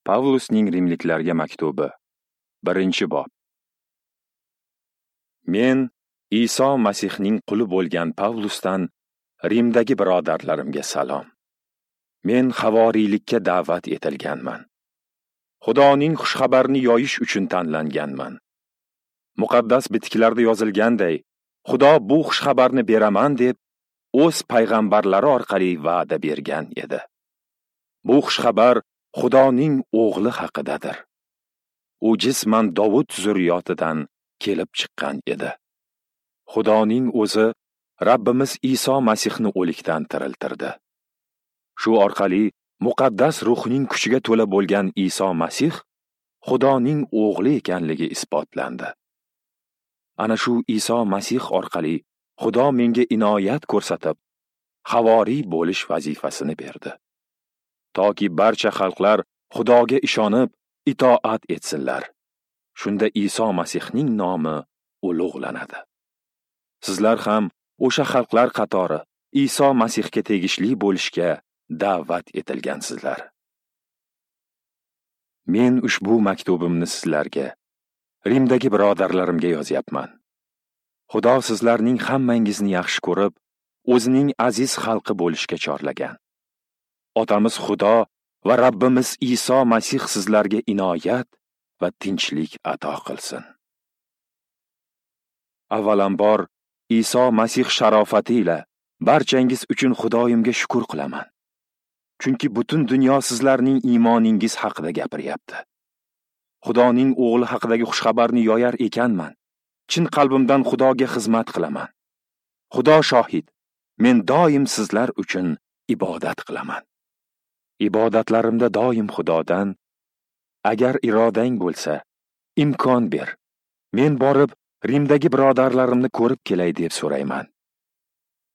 Pavlusning Rimliklarga maktubi, 1-bob. Men Iso Masihning quli bo'lgan Pavlusdan Rimdagi birodarlarimga salom. Men havoriylikka da'vat etilganman. Xudoning xushxabarini yoyish uchun tanlanganman. Muqaddas bitiklarda yozilganday, Xudo bu xushxabarni beraman deb o'z payg'ambarlari orqali va'da bergan edi. Bu xushxabar Xudoning o'g'li haqidadir. U jisman Dovud zurriyotidan kelib chiqqan edi. Xudoning o'zi Rabbimiz Iso Masihni o'likdan tiriltirdi. Shu orqali muqaddas ruhning kuchiga to'la bo'lgan Iso Masih Xudoning o'g'li ekanligi isbotlandi. Ana shu Iso Masih orqali Xudo menga inoyat ko'rsatib, havoriy bo'lish vazifasini berdi. Toki barcha xalqlar Xudoga ishonib, itoat etsinlar. Shunda Iso Masihning nomi ulug'lanadi. Sizlar ham o'sha xalqlar qatori Iso Masihga tegishli bo'lishga da'vat etilgansizlar. Men ushbu maktubimni sizlarga, Rimdagi birodarlarimga yozyapman. Xudo sizlarning hammangizni yaxshi ko'rib, o'zining aziz xalqi bo'lishga chorlagan. Otamiz Xudo va Rabbimiz Iso Masih sizlarga inoyat va tinchlik ato qilsin. Avvalambor Iso Masih sharofati ila barchangiz uchun Xudoyimga shukr qilaman. Chunki butun dunyo sizlarning iymoningiz haqida gapiryapti. Xudoning o'g'li haqidagi xushxabarni yoyar ekanman. Chin qalbimdan Xudoga xizmat qilaman. Xudo shohid, men doim sizlar uchun ibodat qilaman. Ibodatlarimda doim Xudodan, agar irodang bo'lsa, imkon ber. Men borib Rimdagi birodarlarimni ko'rib kelay deb so'rayman.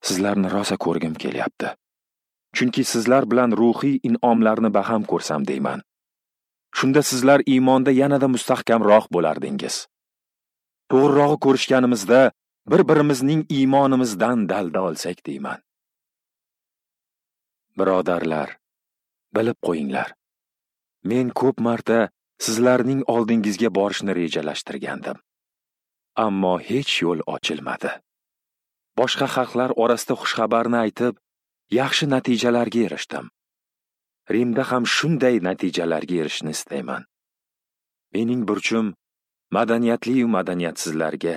Sizlarni rosa ko'rgim kelyapti. Chunki sizlar bilan ruhiy in'omlarni baham ko'rsam deyman. Shunda sizlar iymonda yanada mustahkamroq bo'lardingiz. To'g'rirog'i ko'rishganimizda bir-birimizning iymonimizdan dalda olsak deyman. Birodarlar, bilib qo'yinglar. Men ko'p marta sizlarning oldingizga borishni rejalashtirgandim. Ammo hech yo'l ochilmadi. Boshqa xalqlar orasida xushxabarni aytib, yaxshi natijalarga erishdim. Rimda ham shunday natijalarga erishishni istayman. Mening burchim madaniyatli-yu madaniyatsizlarga,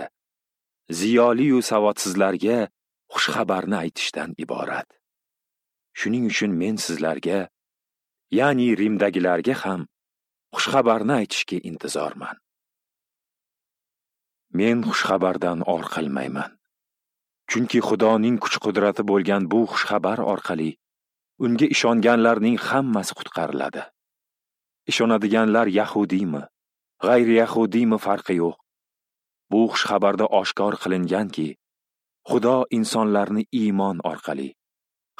ziyoli-yu savodsizlarga xushxabarni aytishdan iborat. Shuning uchun men sizlarga, ya'ni Rimdagilarga ham xushxabarni aytishga intizorman. Men xushxabardan or qilmayman. Chunki Xudoning kuch-qudrati bo'lgan bu xushxabar orqali unga ishonganlarning hammasi qutqariladi. Ishonadiganlar yahudiymi, g'ayri yahudiymi farqi yo'q. Bu xushxabarda oshkor qilinganki, Xudo insonlarni iymon orqali,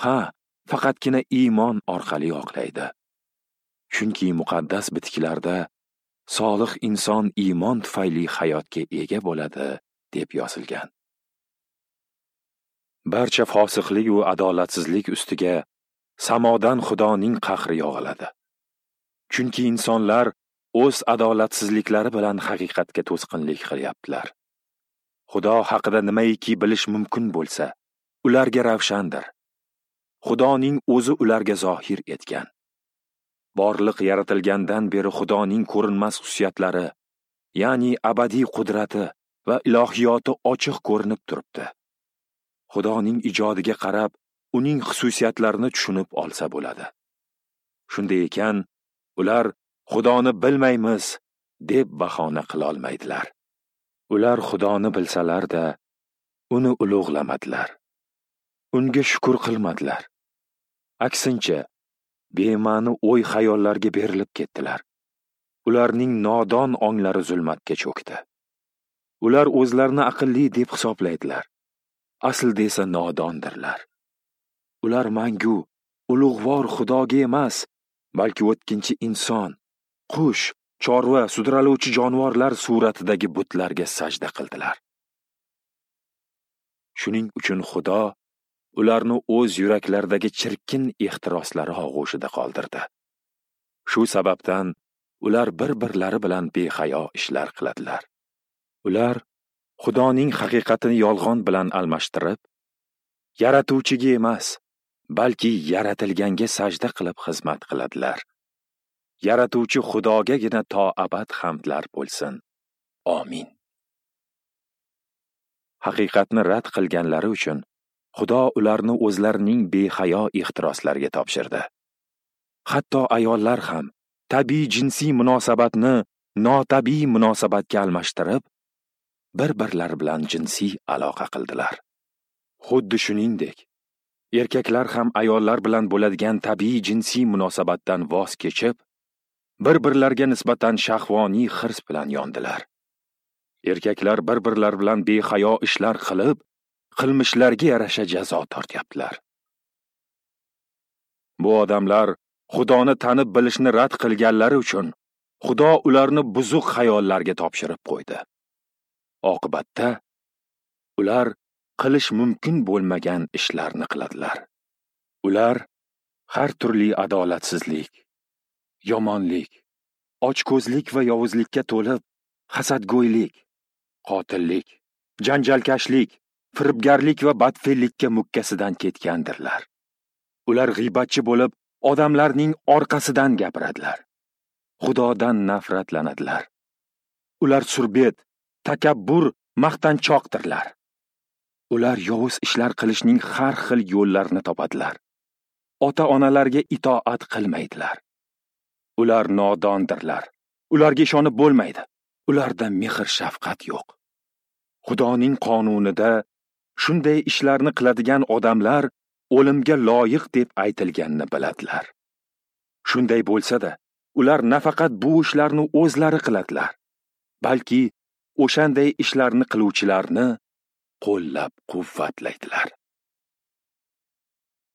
ha, faqatgina iymon orqali oqlaydi. Chunki muqaddas bitiklarda solih inson iymon tufayli hayotga ega bo'ladi deb yozilgan. Barcha fosiqlik va adolatsizlik ustiga samodan Xudoning qahri yog'iladi. Chunki insonlar o'z adolatsizliklari bilan haqiqatga to'sqinlik qilyaptilar. Xudo haqida nimaiki bilish mumkin bo'lsa, ularga ravshandir. Xudoning o'zi ularga zohir etgan. Borliq yaratilgandan beri Xudoning ko'rinmas xususiyatlari, ya'ni abadiy qudrati va ilohiyoti ochiq ko'rinib turibdi. Xudoning ijodiga qarab, uning xususiyatlarini tushunib olsa bo'ladi. Shunday ekan, ular Xudoni bilmaymiz deb bahona qila olmaydilar. Ular Xudoni bilsalar-da, uni ulug'lamadilar. Unga shukr qilmadilar. Aksincha, bema'ni o'y-xayollarga berilib ketdilar. Ularning nodon onglari zulmatga cho'kdi. Ular o'zlarini aqlli deb hisoblaydilar. Aslida esa nodondirlar. Ular mangu, ulug'vor Xudoga emas, balki o'tkinchi inson, qush, chorva, sudraluvchi jonivorlar suratidagi butlarga sajda qildilar. Shuning uchun Xudo ularni o'z yuraklaridagi chirkin ehtiroslari og'ushida qoldirdi. Shu sababdan ular bir-birlari bilan behayo ishlar qiladilar. Ular Xudoning haqiqatini yolg'on bilan almashtirib, yaratuvchiga emas, balki yaratilganga sajda qilib xizmat qiladilar. Yaratuvchi Xudogagina to abad hamdlar bo'lsin. Amin. Haqiqatni rad qilganlari uchun Xudo ularni o'zlarining behayo ehtiroslariga topshirdi. Hatto ayollar ham tabiiy jinsiy munosabatni notabiiy munosabatga almashtirib, bir-birlari bilan jinsiy aloqa qildilar. Xuddi shuningdek, erkaklar ham ayollar bilan bo'ladigan tabiiy jinsiy munosabatdan voz kechib, bir-birlariga nisbatan shahvoniy hirs bilan yondilar. Erkaklar bir-birlari bilan behayo ishlar qilib, qilmishlarga yarasha jazo tortyaptilar. Bu odamlar Xudoni tanib bilishni rad qilganlari uchun Xudo ularni buzuq xayollarga topshirib qo'ydi. Oqibatda ular qilish mumkin bo'lmagan ishlarni qiladilar. Ular har turli adolatsizlik, yomonlik, ochko'zlik va yovuzlikka to'lib, hasadgo'ylik, qotillik, janjalkashlik, firibgarlik va badfe'llikka mukkasidan ketgandirlar. Ular g'iybatchi bo'lib, odamlarning orqasidan gapiradilar. Xudodan nafratlanadilar. Ular surbet, takabbur, maqtanchoqdirlar. Ular yovuz ishlar qilishning har xil yo'llarini topadilar. Ota-onalarga itoat qilmaydilar. Ular nodondirlar. Ularga ishonib bo'lmaydi. Ularda mehr-shafqat yo'q. Xudoning qonunida shunday ishlarni qiladigan odamlar o'limga loyiq deb aytilganini biladilar. Shunday bo'lsa-da, ular nafaqat bu ishlarni o'zlari qiladilar, balki o'shanday ishlarni qiluvchilarni qo'llab-quvvatlaydilar.